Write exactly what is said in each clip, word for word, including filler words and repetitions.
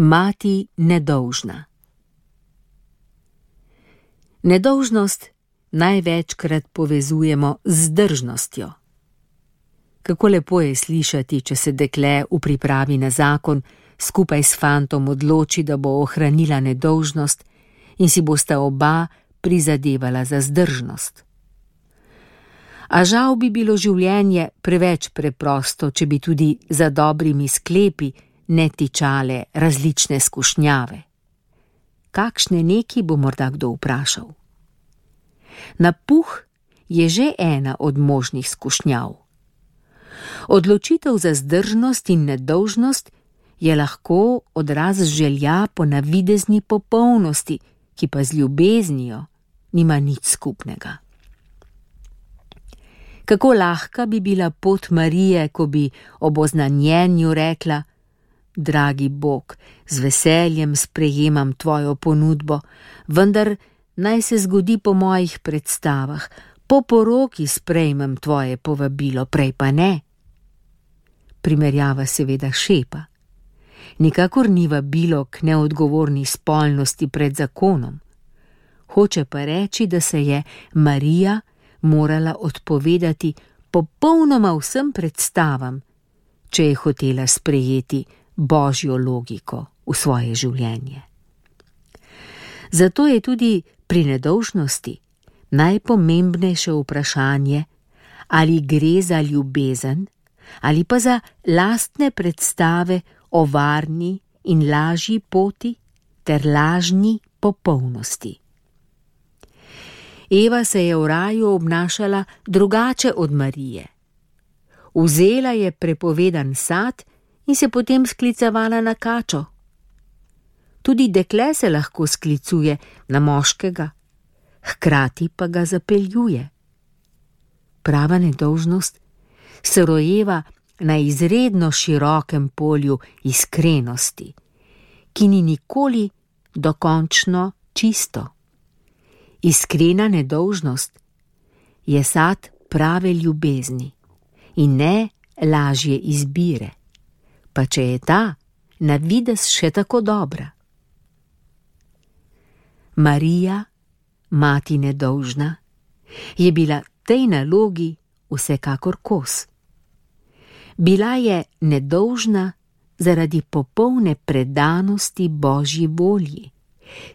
Mati nedolžna. Nedolžnost največkrat povezujemo z zdržnostjo. Kako lepo je slišati, če se dekle v pripravi na zakon skupaj s fantom odloči, da bo ohranila nedolžnost in si bosta oba prizadevala za zdržnost. A žal bi bilo življenje preveč preprosto, če bi tudi za dobrimi sklepi ne tičale različne skušnjave. Kakšne neki bo morda kdo vprašal? Napuh je že ena od možnih skušnjav. Odločitev za zdržnost in nedolžnost je lahko odraz želja po navidezni popolnosti, ki pa z ljubeznijo nima nič skupnega. Kako lahka bi bila pot Marije, ko bi ob oznanjenju rekla: Dragi Bog, z veseljem sprejemam tvojo ponudbo, vendar naj se zgodi po mojih predstavah, po poroki sprejmem tvoje povabilo, prej pa ne. Primerjava seveda šepa. Nikakor ni vabilo k neodgovorni spolnosti pred zakonom. Hoče pa reči, da se je Marija morala odpovedati popolnoma vsem predstavam, če je hotela sprejeti božjo logiko v svoje življenje. Zato je tudi pri nedolžnosti najpomembnejše vprašanje, ali gre za ljubezen ali pa za lastne predstave o varni in lažji poti ter lažni popolnosti. Eva se je v raju obnašala drugače od Marije. Vzela je prepovedan sad in se potem sklicevala na kačo. Tudi dekle se lahko sklicuje na moškega, hkrati pa ga zapeljuje. Prava nedolžnost se rojeva na izredno širokem polju iskrenosti, ki ni nikoli dokončno čisto. Iskrena nedolžnost je sad prave ljubezni in ne lažje izbire, pa če je ta na videz še tako dobra. Marija, mati nedolžna, je bila tej nalogi vsekakor kos. Bila je nedolžna zaradi popolne predanosti Božji volji,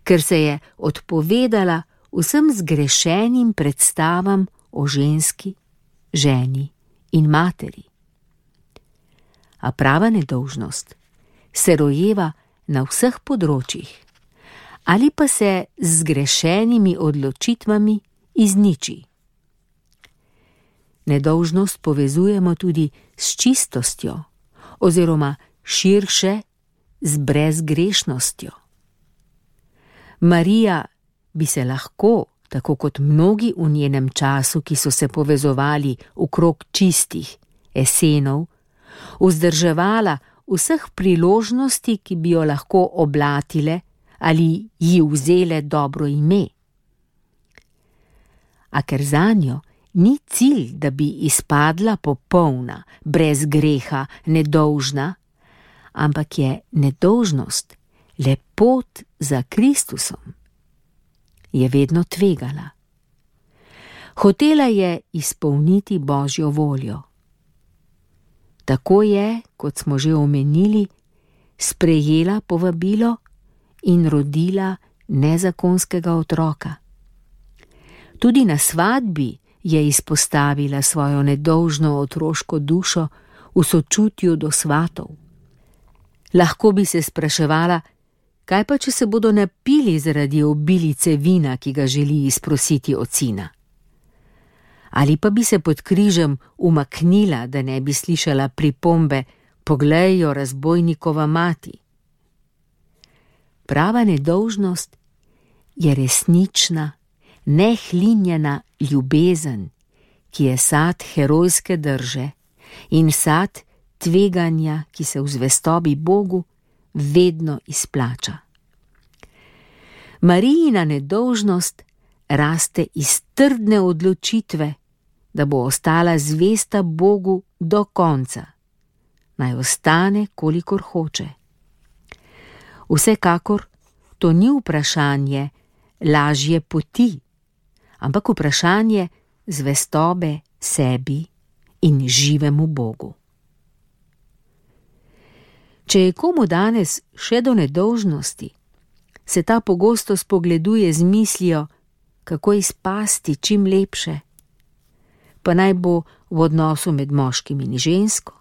ker se je odpovedala vsem zgrešenim predstavam o ženski, ženi in materi. A prava nedolžnost se rojeva na vseh področjih, ali pa se z zgrešenimi odločitvami izniči. Nedolžnost povezujemo tudi s čistostjo, oziroma širše z brezgrešnostjo. Marija bi se lahko, tako kot mnogi v njenem času, ki so se povezovali okrog čistih esenov, vzdrževala vseh priložnosti, ki bi jo lahko oblatile ali ji vzele dobro ime. A ker zanjo ni cilj, da bi izpadla popolna, brez greha, nedolžna, ampak je nedolžnost le pot za Kristusom, je vedno tvegala. Hotela je izpolniti Božjo voljo. Tako je, kot smo že omenili, sprejela povabilo in rodila nezakonskega otroka. Tudi na svadbi je izpostavila svojo nedolžno otroško dušo v sočutju do svatov. Lahko bi se spraševala, kaj pa, če se bodo napili zaradi obilice vina, ki ga želi izprositi od sina? Ali pa bi se pod križem umaknila, da ne bi slišala pripombe: poglej jo, razbojnikova mati. Prava nedolžnost je resnična, nehlinjena ljubezen, ki je sad herojske drže in sad tveganja, ki se v zvestobi Bogu vedno izplača. Marijina nedolžnost raste iz trdne odločitve, da bo ostala zvesta Bogu do konca, naj ostane, kolikor hoče. Vsekakor to ni vprašanje lažje poti, ampak vprašanje zvestobe sebi in živemu Bogu. Če je komu danes še do nedolžnosti, se ta pogosto spogleduje z mislijo, kako izpasti čim lepše, pa naj bo v odnosu med moškim in žensko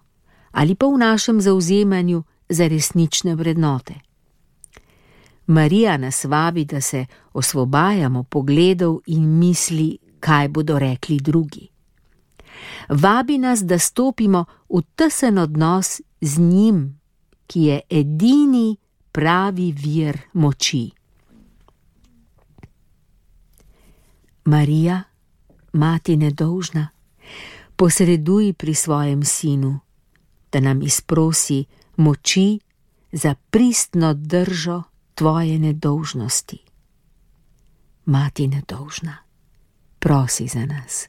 ali pa v našem zavzemanju za resnične vrednote. Marija nas vabi, da se osvobajamo pogledov in misli, kaj bodo rekli drugi. Vabi nas, da stopimo v tesen odnos z njim, ki je edini pravi vir moči. Marija, mati nedolžna, posreduj pri svojem sinu, da nam izprosi moči za pristno držo tvoje nedolžnosti. Mati nedolžna, prosi za nas.